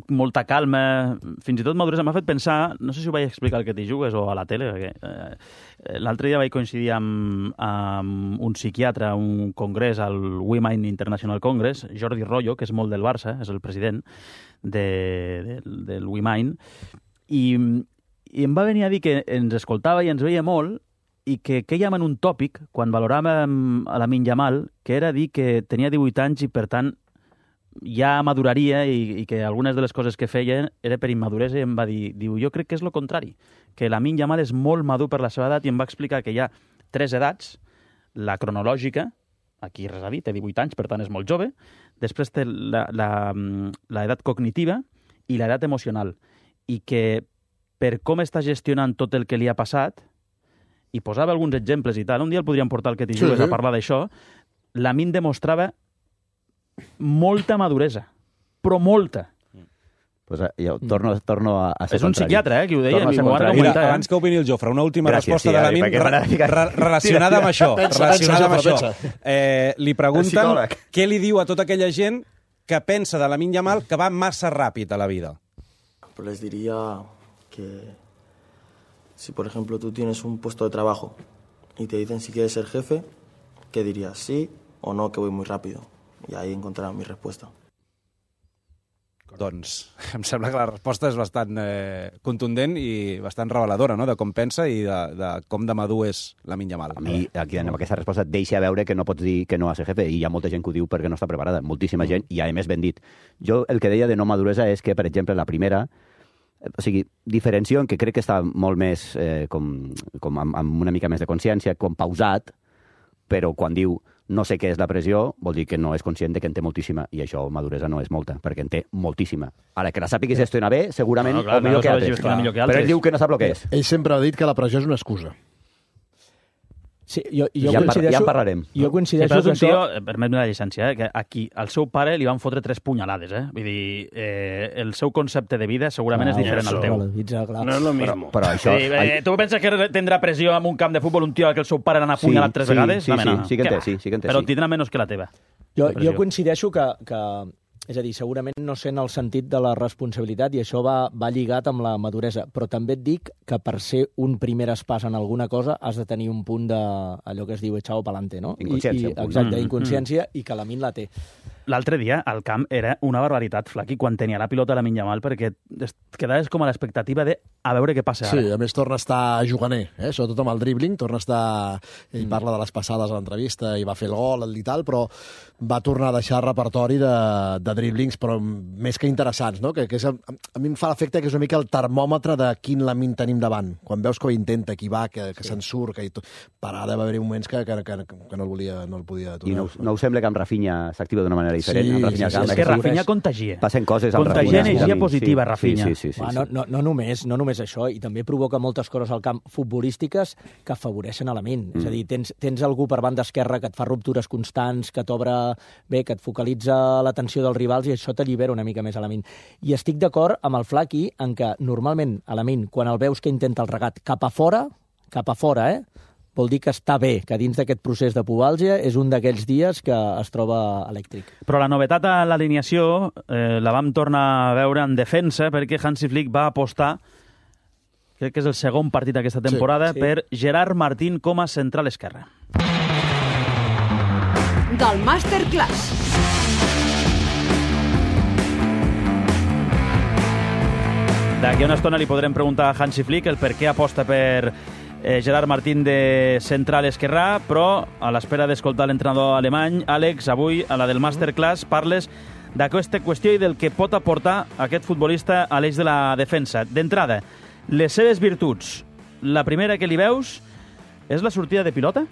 molta calma, fins i tot maduresa. M'ha fet pensar, no sé si ho vaig explicar al que t'hi jugues o a la tele, perquè l'altre dia vaig coincidir amb un psiquiatre a un congrés, al WeMind International Congress, Jordi Rollo, que és molt del Barça, és el president del WeMind, i em va venir a dir que ens escoltava i ens veia molt, i que quèiem en un tòpic, quan valoràvem a Lamine Yamal, que era dir que tenia 18 anys i, per tant, ja maduraria i que algunes de les coses que feia era per immaduresa, i em va dir, jo crec que és el contrari, que Lamine Yamal és molt madur per la seva edat, i em va explicar que hi ha 3 edats, la cronològica, aquí res a dir, té 18 anys, per tant és molt jove, després té l'edat cognitiva i l'edat emocional, i que per com està gestionant tot el que li ha passat, i posava alguns exemples i tal, un dia el podríem portar al que t'hi jugues a parlar d'això, Lamine demostrava molta maduresa, però molta. Pues jo torno a ser és un psiquiatre, qui ho deia. Mira, abans que opini el Jofre, una última resposta de Lamine relacionada amb això. Li pregunten què li diu a tota aquella gent que pensa de Lamine Yamal que va massa ràpid a la vida. Pues les diría que si, por ejemplo, tú tienes un puesto de trabajo y te dicen si quieres ser jefe, ¿qué dirías? ¿Sí o no, que voy muy rápido? I ahí encontraran mi resposta. Doncs em sembla que la resposta és bastant contundent i bastant reveladora, no?, de com pensa i de com de madur és Lamine Yamal. A mi, aquí, amb aquesta resposta, et deixa veure que no pots dir que no a ser jefe, i hi ha molta gent que ho diu perquè no està preparada, moltíssima gent, i a més ben dit. Jo el que deia de no maduresa és que, per exemple, la primera, o sigui, diferencio en que crec que està molt més, com amb una mica més de consciència, com pausat, però quan diu no sé què és la pressió, vol dir que no és conscient de que en té moltíssima, i això maduresa no és molta, perquè en té moltíssima. Ara, que la sàpiguis gestionar bé, segurament, o millor que altres. Però ell diu que no sap el que és. Ell sempre ha dit que la pressió és una excusa. Sí, ja en parlarem. Jo coincideixo que això... Permet-me la llicència, que aquí al seu pare li van fotre 3 punyalades, Vull dir, el seu concepte de vida segurament és diferent al teu. No és lo mismo. Però això... Tu penses que tindrà pressió en un camp de futbol un tio que el seu pare l'ha apunyalat 3 vegades? Sí que en té. Però tindrà menys que la teva. Jo coincideixo que és a dir, segurament no sent el sentit de la responsabilitat, i això va lligat amb la maduresa, però també et dic que per ser un primer pas en alguna cosa has de tenir un punt d'allò que es diu echao pa'lante, no? Inconsciència. Exacte, inconsciència, i que Lamine la té. L'altre dia, al camp, era una barbaritat, Flaqui, quan tenia la pilota Lamine Yamal, perquè quedaves com a l'expectativa de a veure què passa ara. Sí, a més torna a estar juganer, sobretot amb el dribbling, torna a estar... Ell parla de les passades a l'entrevista i va fer el gol i tal, però va tornar a deixar repertori de dribblings, però més que interessants, no? Que a mi em fa l'efecte que és una mica el termòmetre de quin Lamine tenim davant. Quan veus que ho intenta, que hi va, que se'n surt, que per ara va haver moments que no el podia aturar. I no us sembla que amb Rafinha s'activa d'una manera diferent? Sí, és que Rafinha contagia. Passen coses amb Rafinha. Contagia energia positiva, Rafinha. Sí. No només això, i també provoca moltes coses al camp futbolístiques que afavoreixen a Lamine. És a dir, tens algú per banda esquerra que et fa ruptures constants, que t'obre bé, que et focalitza l'atenció dels rivals, i això t'allibera una mica més a Lamine. I estic d'acord amb el Flaqui en que normalment a Lamine, quan el veus que intenta el regat cap a fora, vol dir que està bé, que dins d'aquest procés de pubalgia és un d'aquells dies que es troba elèctric. Però la novetat a l'alineació la vam tornar a veure en defensa, perquè Hansi Flick va apostar, crec que és el segon partit d'aquesta temporada, per Gerard Martín com a central esquerre. Del Masterclass. D'aquí a una estona li podrem preguntar a Hansi Flick el per què aposta per Gerard Martín de central esquerrà, però a l'espera d'escoltar l'entrenador alemany, Àlex, avui a la del Masterclass parles d'aquesta qüestió i del que pot aportar aquest futbolista a l'eix de la defensa. D'entrada, les seves virtuts. La primera que li veus és la sortida de pilota?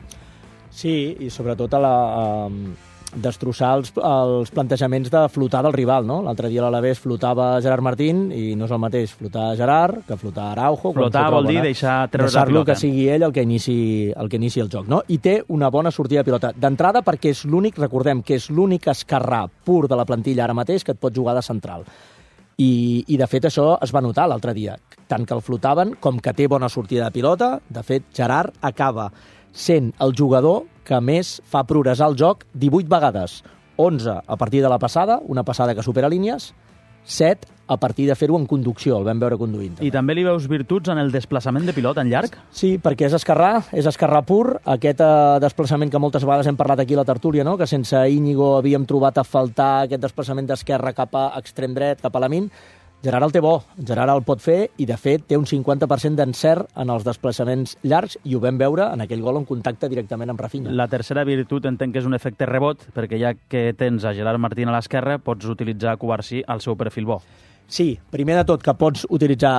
Sí, i sobretot destrossar els plantejaments de flotar del rival, no? L'altre dia a l'Alavés flotava Gerard Martín i no és el mateix flotar Gerard que flotar Araujo. Flotar vol dir deixar treure la pilota. Que sigui ell el que inici el joc, no? I té una bona sortida de pilota. D'entrada perquè és l'únic, recordem, que és l'únic esquerrà pur de la plantilla ara mateix que et pot jugar de central. I de fet això es va notar l'altre dia. Tant que el flotaven com que té bona sortida de pilota. De fet, Gerard acaba sent el jugador que més fa progressar el joc 18 vegades. 11 a partir de la passada, una passada que supera línies, 7 a partir de fer-ho en conducció, el vam veure conduint. I també li veus virtuts en el desplaçament de pilota en llarg? Sí, perquè és esquerrà pur, aquest desplaçament que moltes vegades hem parlat aquí a la tertúlia, no? Que sense Íñigo havíem trobat a faltar aquest desplaçament d'esquerra cap a extrem dret, cap a la min. Gerard el té bo, Gerard el pot fer i, de fet, té un 50% d'encert en els desplaçaments llargs i ho vam veure en aquell gol en contacte directament amb Rafinha. La tercera virtut entenc que és un efecte rebot, perquè ja que tens a Gerard Martín a l'esquerra, pots utilitzar Cubarsí al seu perfil bo. Sí, primer de tot que pots utilitzar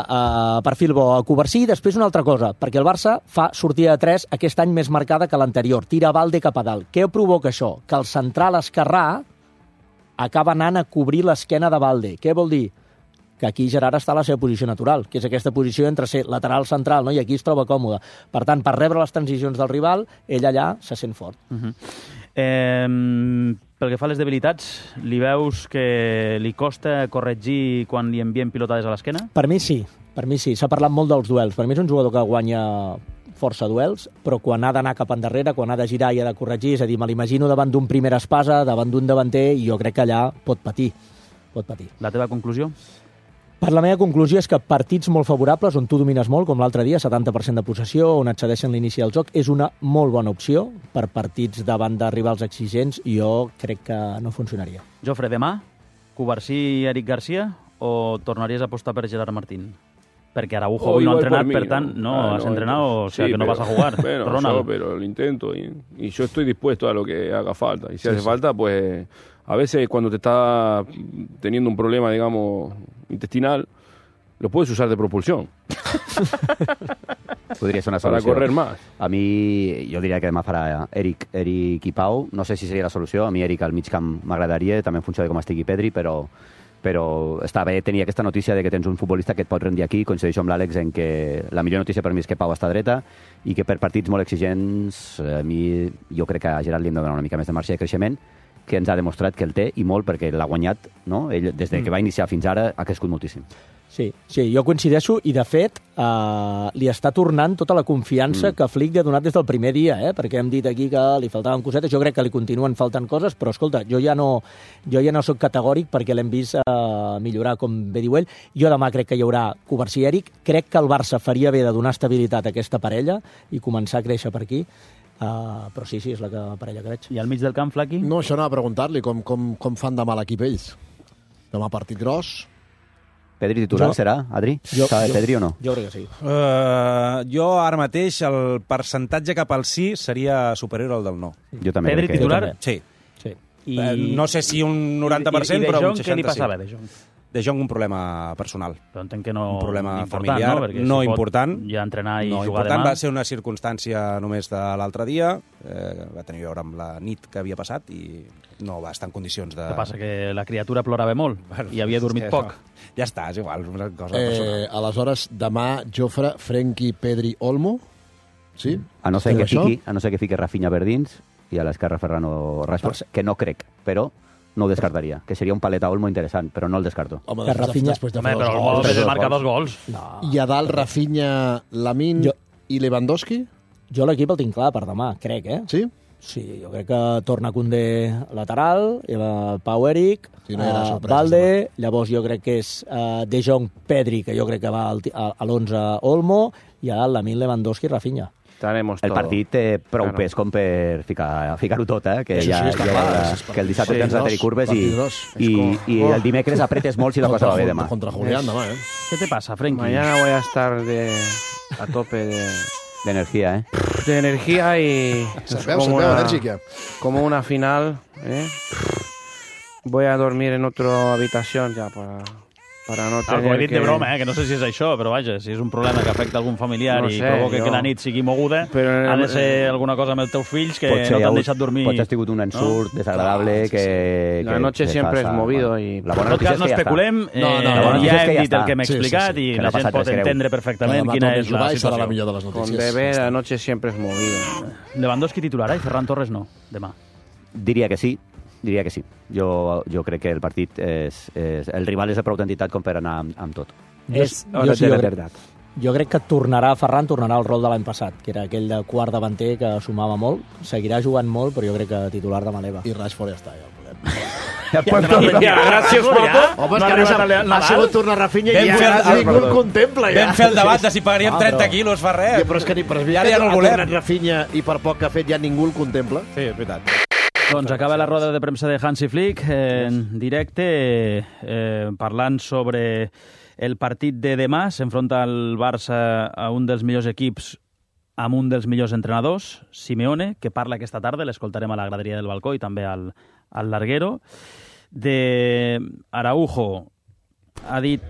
perfil bo a Cubarsí i després una altra cosa, perquè el Barça fa sortida de 3 aquest any més marcada que l'anterior, tira Valde cap a dalt. Què provoca això? Que el central esquerrà acaba anant a cobrir l'esquena de Valde. Què vol dir? Que aquí Gerard està a la seva posició natural, que és aquesta posició entre ser lateral central, no? I aquí es troba còmode. Per tant, per rebre les transicions del rival, ell allà se sent fort. Pel que fa a les debilitats, li veus que li costa corregir quan li envien pilotades a l'esquena? Per mi sí. S'ha parlat molt dels duels. Per mi és un jugador que guanya força duels, però quan ha d'anar cap endarrere, quan ha de girar i ha de corregir, és a dir, me l'imagino davant d'un primer espasa, davant d'un davanter, i jo crec que allà pot patir. La teva conclusió? Per la meva conclusió és que partits molt favorables, on tu domines molt, com l'altre dia, 70% de possessió, on et cedeixen l'inici del joc, és una molt bona opció per partits davant de rivals exigents i jo crec que no funcionaria. Jofre, demà, Cubarsí i Eric García o tornaries a apostar per Gerard Martín? Perquè Araujo hoy no ha entrenado, per tant, no has entrenado, o sea, que no vas a jugar. Bueno, Ronald. pero lo intento y yo estoy dispuesto a lo que haga falta. Y si hace falta, pues a veces cuando te está teniendo un problema, digamos, intestinal, lo puedes usar de propulsión. Podria ser una solució. Para correr más. A mi, jo diria que demà farà Eric i Pau. No sé si seria la solució. A mi Eric al mig camp m'agradaria, també en funció de com estigui Pedri, però està bé tenir aquesta notícia de que tens un futbolista que et pot rendir aquí. Coincideixo amb l'Àlex en que la millor notícia per mi és que Pau està dreta i que per partits molt exigents a mi jo crec que a Gerard li hem de donar una mica més de marge de creixement, que ens ha demostrat que el té, i molt, perquè l'ha guanyat, no? Ell, des que va iniciar fins ara, ha crescut moltíssim. Sí, jo coincideixo, i de fet li està tornant tota la confiança que Flick li ha donat des del primer dia, perquè hem dit aquí que li faltaven cosetes, jo crec que li continuen faltant coses, però escolta, jo ja no soc categòric perquè l'hem vist millorar, com bé diu ell. Jo demà crec que hi haurà Cubarsí i Eric, crec que el Barça faria bé de donar estabilitat a aquesta parella i començar a créixer per aquí. Però sí, és la parella que veig. I al mig del camp, Flaqui? No, això anava a preguntar-li com fan demà l'equip ells. Demà partit gros. Pedri titular serà, Adri? Sabe Pedri o no? Jo crec que sí. Jo ara mateix el percentatge cap al sí seria superior al del no. Jo també. Pedri titular? Sí. No sé si un 90%, però un 60%. Què li passava, De Jong? De Jong un problema personal. Però entenc que no... Un problema important, familiar, no important. Ja entrenar i no jugar important, demà. va ser una circumstància només de l'altre dia, va tenir a veure amb la nit que havia passat i no va estar en condicions de... Què passa, que la criatura plorava molt i havia dormit poc. No. Ja està, és igual, una cosa personal. Aleshores, demà, Jofre, Frenkie, Pedri, Olmo, sí? A no ser que fiqui Rafinha Verdins i a l'esquerra Ferran Rashford, que no crec, però no ho descartaria, que seria un paleta Olmo interessant, però no el descarto. Home, després de fer però Olmo marca 2 gols. No. I a dalt, Rafinha, Lamine i Lewandowski? Jo l'equip el tinc clar per demà, crec, Sí? Sí, jo crec que torna Koundé lateral, Pau Eric, sí, no Valde, llavors jo crec que és De Jong, Pedri, que jo crec que va a l'11 Olmo, i a Lamine, Lewandowski i Rafinha. El partit té prou pes com per ficar-ho tot, que el dissabte tens la curves i el dimecres apretes molt si la cosa va bé demà. Contra Julián demà, ¿Qué te pasa, Frenkie? Mañana voy a estar a tope de energía, de energía y se veu enèrgica. Como una final, voy a dormir en otra habitación ya para no tener ho he dit de broma, que no sé si és això, però vaja, si és un problema que afecta algun familiar i provoca que la nit sigui moguda, ha de ser alguna cosa amb els teus fills que no t'han deixat dormir. Potser has tingut un ensurt desagradable que... La noche siempre es movido i... En tot cas, no especulem, ja hem dit el que hem explicat i la gent pot entendre perfectament quina és la situació. Con bebé, la noche siempre es movido. Lewandowski titular, i Ferran Torres no, demà. Diria que sí. Jo crec que el partit el rival és de prou entitat com per anar amb tot. Jo crec que Ferran tornarà al rol de l'any passat, que era aquell de quart davanter que sumava molt. Seguirà jugant molt, però jo crec que titular de Maleva. I Rashford ja està, Gràcies, Porto. Home, és que ha sigut tornar Rafinha i ja ningú el contempla. Vam fer el debat de si pagaríem 30 quilos, fa res. Però és que ja no el volem. Rafinha i per poc que ha fet ja ningú el contempla. Sí, és veritat. Doncs acaba la roda de premsa de Hansi Flick en directe parlant sobre el partit de demà. S'enfronta el Barça a un dels millors equips amb un dels millors entrenadors, Simeone, que parla aquesta tarda, l'escoltarem a la graderia del balcó i també al larguero. De Araujo ha dit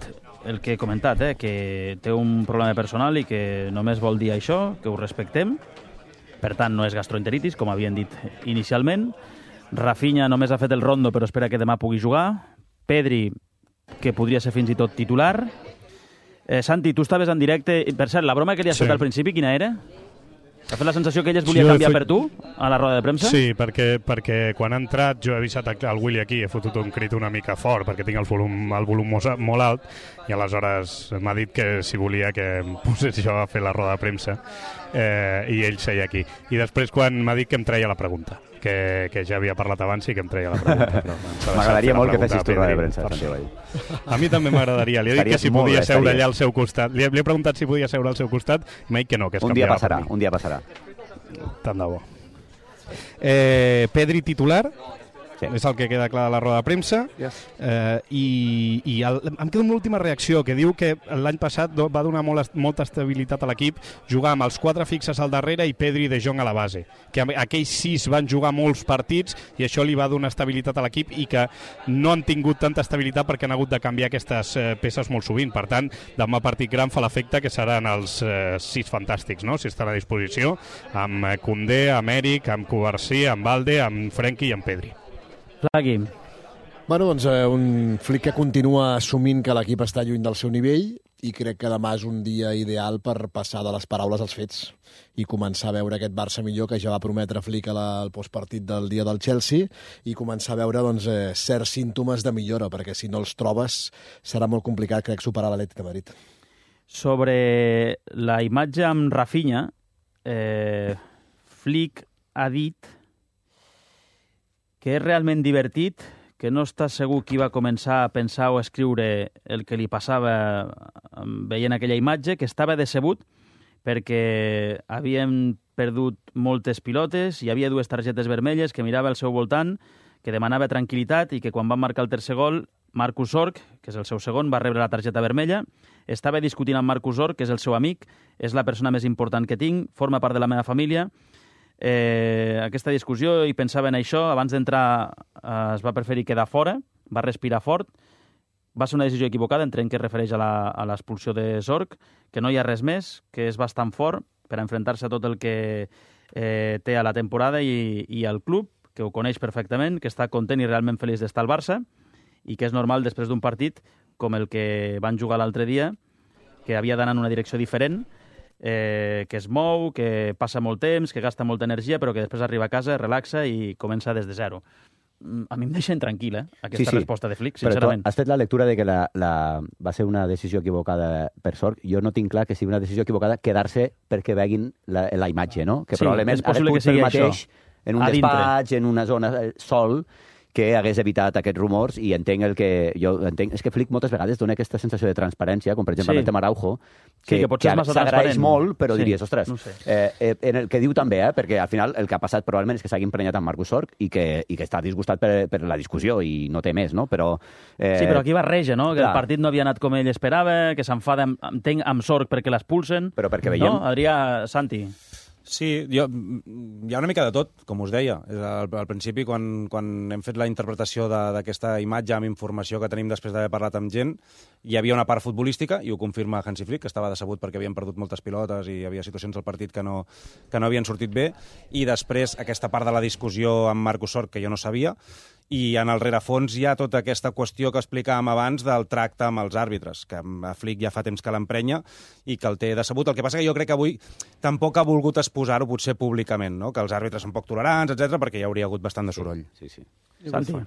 el que he comentat, que té un problema personal i que només vol dir això, que ho respectem. Per tant, no és gastroenteritis, com havien dit inicialment. Rafinha només ha fet el rondo, però espera que demà pugui jugar. Pedri, que podria ser fins i tot titular. Santi, tu estaves en directe. Per cert, la broma que li has fet al principi, quina era? T'ha fet la sensació que ell es volia canviar per tu a la roda de premsa? Sí, perquè quan ha entrat jo he avisat el Willy aquí, he fotut un crit una mica fort perquè tinc el volum molt alt i aleshores m'ha dit que si volia que em posés jo a fer la roda de premsa i ell seia aquí. I després quan m'ha dit que em treia la pregunta, que ja havia parlat abans i que em treia la pregunta. M'agradaria molt que fessis tu roda de premsa. A mi també m'agradaria. Li he dit que si podia seure allà al seu costat. Li he preguntat si podia seure al seu costat i m'ha dit que no, que es canviava per mi. Un dia passarà. Tant de bo. Pedri titular, és el que queda clar de la roda de premsa. I em queda una última reacció, que diu que l'any passat va donar molta estabilitat a l'equip jugar amb els 4 fixes al darrere i Pedri i De Jong a la base, que aquells 6 van jugar molts partits i això li va donar estabilitat a l'equip i que no han tingut tanta estabilitat perquè han hagut de canviar aquestes peces molt sovint. Per tant, demà partit gran fa l'efecte que seran els 6 fantàstics, no? Si estan a disposició, amb Koundé, amb Eric, amb Cubarsí, amb Valde, amb Frenkie i amb Pedri. Plagui. Bueno, doncs un Flick que continua assumint que l'equip està lluny del seu nivell i crec que demà és un dia ideal per passar de les paraules als fets i començar a veure aquest Barça millor que ja va prometre Flick al postpartit del dia del Chelsea i començar a veure certs símptomes de millora, perquè si no els trobes serà molt complicat, crec, superar l'Atlètic de Madrid. Sobre la imatge amb Rafinha, Flick ha dit que és realment divertit, que no està segur qui va començar a pensar o a escriure el que li passava veient aquella imatge, que estava decebut perquè havien perdut moltes pilotes, hi havia 2 targetes vermelles, que mirava al seu voltant, que demanava tranquil·litat i que quan van marcar el tercer gol, Marcus Zorc, que és el seu segon, va rebre la targeta vermella. Estava discutint amb Marcus Zorc, que és el seu amic, és la persona més important que tinc, forma part de la meva família. Aquesta discussió i pensava en això, abans d'entrar es va preferir quedar fora, va respirar fort, va ser una decisió equivocada, entenc que es refereix a l'expulsió de Zorc, que no hi ha res més, que és bastant fort per enfrontar-se a tot el que té a la temporada i al club, que ho coneix perfectament, que està content i realment feliç d'estar al Barça i que és normal després d'un partit com el que van jugar l'altre dia, que havia d'anar en una direcció diferent, que es mou, que passa molt temps, que gasta molta energia, però que després arriba a casa, relaxa i comença des de zero. A mi em deixa tranquil, aquesta resposta de Flick, sincerament. Però tu has fet la lectura de que va ser una decisió equivocada per Zorc. Jo no tinc clar que sigui una decisió equivocada quedar-se perquè veguin la imatge, no? Que probablement ha de fer el mateix en un despatx, en una zona sol, que hagués evitat aquests rumors i entenc el que... Jo entenc, és que Flick moltes vegades dona aquesta sensació de transparència, com per exemple amb el tema Araujo, que s'agraeix molt, però diries, ostres, en el que diu també, perquè al final el que ha passat probablement és que s'hagi emprenyat amb Marcus Zorc i que està disgustat per la discussió i no té més, no? Però... Sí, però aquí barreja, no? Que el partit no havia anat com ell esperava, que s'enfada, entenc, amb Zorc perquè l'expulsen. Però perquè veiem... No? Adrià, Santi... Sí, hi ha una mica de tot, com us deia. Al principi, quan hem fet la interpretació d'aquesta imatge amb informació que tenim després d'haver parlat amb gent, hi havia una part futbolística, i ho confirma Hansi Flick, que estava decebut perquè havien perdut moltes pilotes i hi havia situacions al partit que no havien sortit bé, i després aquesta part de la discussió amb Marcus Sorg, que jo no sabia, i en el rerefons hi ha tota aquesta qüestió que explicàvem abans del tracte amb els àrbitres, que a Flick ja fa temps que l'emprenya i que el té decebut. El que passa que jo crec que avui tampoc ha volgut exposar-ho potser públicament, no? Que els àrbitres són poc tolerants, etc, perquè hi hauria hagut bastant de soroll. Sí. Santi?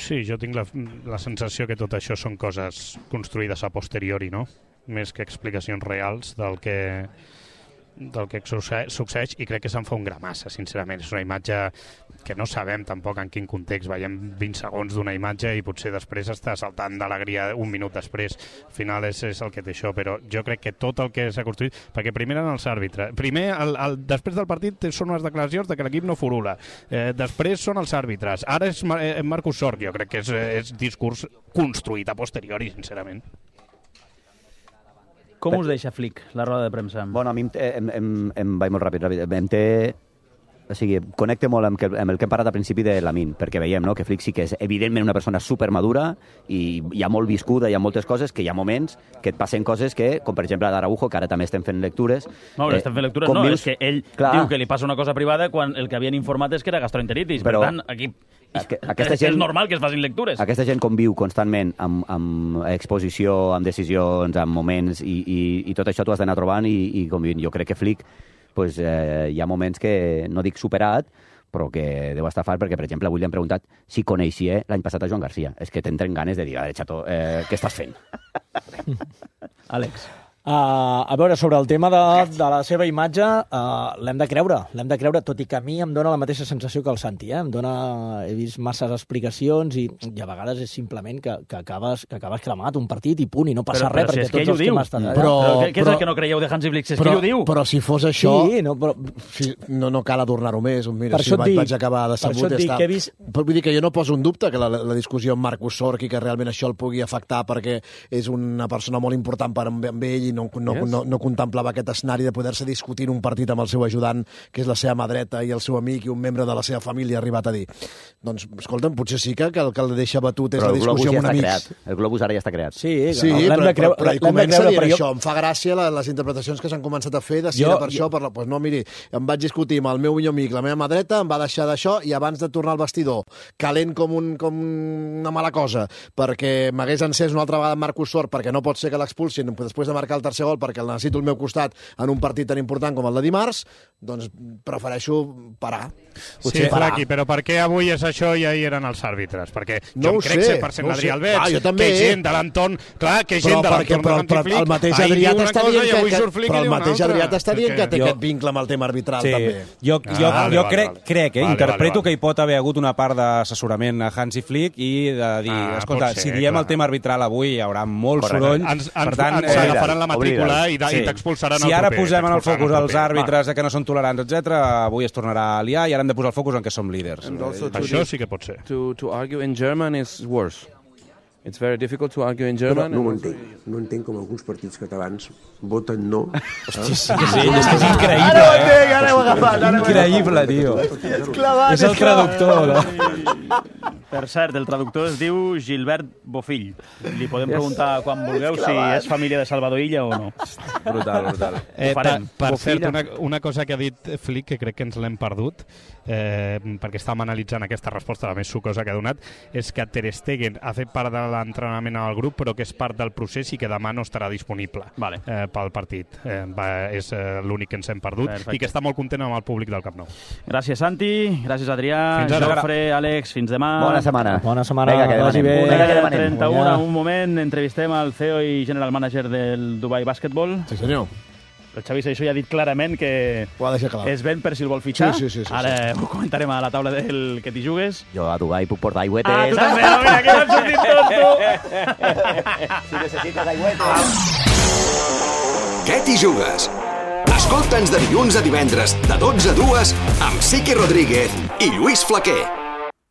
Sí, jo tinc la sensació que tot això són coses construïdes a posteriori, no? Més que explicacions reals del que succeeix, i crec que se'n fa un gra massa, sincerament. És una imatge que no sabem tampoc en quin context. Veiem 20 segons d'una imatge i potser després està saltant d'alegria un minut després. Al final és el que té això, però jo crec que tot el que s'ha construït... Perquè primer eren els àrbitres. Primer, després del partit, són unes declaracions de que l'equip no furula. Després són els àrbitres. Ara és Marcus Sorg. Jo crec que és discurs construït a posteriori, sincerament. Com us deixa Flick, la roda de premsa? Bueno, a mi em vaig molt ràpid. O sigui, connecte molt amb el que hem parlat al principi de Lamine, perquè veiem, no?, que Flick sí que és evidentment una persona supermadura i ja molt viscuda, hi ha moltes coses, que hi ha moments que et passen coses que, com per exemple d'Araujo, que ara també estem fent lectures... No, estem fent lectures, no, és que ell diu que li passa una cosa privada quan el que havien informat és que era gastroenteritis. Per tant, aquí... És normal que es facin lectures. Aquesta gent conviu constantment amb exposició, amb decisions, amb moments, i tot això t'ho has d'anar trobant i convivint. Jo crec que Flick hi ha moments que, no dic superat, però que deu estar fart, perquè, per exemple, avui li han preguntat si coneixia l'any passat a Joan Garcia. És que t'entren ganes de dir, xato, què estàs fent? Àlex. A veure, sobre el tema de la seva imatge, l'hem de creure, tot i que a mi em dóna la mateixa sensació que el Santi. He vist masses explicacions i a vegades és simplement que acabes cremat un partit i punt, i no passa res, perquè tots els que hem estat allà... Però què és el que no creieu de Hansi Flick? És que ell ho diu. Però si fos això, no cal adornar-ho més. Mira, si vaig acabar decebut, ja està. Vull dir que jo no poso en dubte que la discussió amb Marcus Sorg i que realment això el pugui afectar perquè és una persona molt important per amb ell i no contemplava aquest escenari de poder-se discutir un partit amb el seu ajudant, que és la seva mà dreta i el seu amic i un membre de la seva família, ha arribat a dir. Doncs, escolta'm, potser sí que el que el deixa batut és la discussió amb un amic. El globus ara ja està creat. Sí, però hi comença a dir per això. Em fa gràcia les interpretacions que s'han començat a fer de si era per això, pues no, miri, em vaig discutir amb el meu millor amic, la meva mà dreta, em va deixar d'això i abans de tornar al vestidor, calent com una mala cosa, perquè m'hagués encès una altra vegada Marcus Sorg, perquè no pot ser que l'expulsin després de marcar el tercer gol, perquè el necessito al meu costat en un partit tan important com el de dimarts, doncs prefereixo parar. Sí, Flaqui, però per què avui és això i ahir eren els àrbitres? Perquè jo em crec 100% Adrià Alberts, que gent de l'entorn... Clar, que gent de l'entorn però el mateix Adrià t'està dient que té aquest vincle amb el tema arbitral, també. Jo crec, interpreto que hi pot haver hagut una part d'assessorament a Hansi Flick i de dir, escolta, si diem el tema arbitral avui hi haurà molt soroll, per tant... Ens agafaran la matrícula i t'expulsaran el proper. Si ara posem en el focus els àrbitres que no són tolerants, etc., avui es tornarà a liar i ara hem de posar el focus en què som líders. Això sí que pot ser. To argue in German is worse. It's very difficult to argue in German. No ho entenc. No entenc com alguns partits catalans voten no. Hosti, sí, és increïble. Ara ho entenc, ara ho he agafat. Increïble, tio. És el traductor. Per cert, el traductor es diu Gilbert Bofill. Li podem preguntar quan vulgueu si és família de Salvador Illa o no. Brutal. Per cert, una cosa que ha dit Flick, que crec que ens l'hem perdut, perquè estàvem analitzant aquesta resposta, la més sucosa que ha donat, és que Ter Stegen ha fet part de l'entrenament al grup, però que és part del procés i que demà no estarà disponible pel partit. És l'únic que ens hem perdut. Perfecte. I que està molt content amb el públic del Camp Nou. Gràcies, Santi. Gràcies, Adrià. Jofre, Àlex, fins demà. Bona setmana. Vinga, que vagi bé. 31, un moment, entrevistem al CEO i general manager del Dubai Basketball. Sí, senyor. El Xavi Seixó ja ha dit clarament que es ven per si el vol fitxar. Sí. Ara ho comentarem a la taula del que t'hi jugues. Jo a Dubai puc portar aigüetes. Ah, tu també, no, mira, que m'has sortit tot, tu. Si necessites aigüetes. Què t'hi jugues? Escolta'ns de dilluns a divendres, de 12 a 2, amb Siqui Rodríguez i Lluís Flaquer.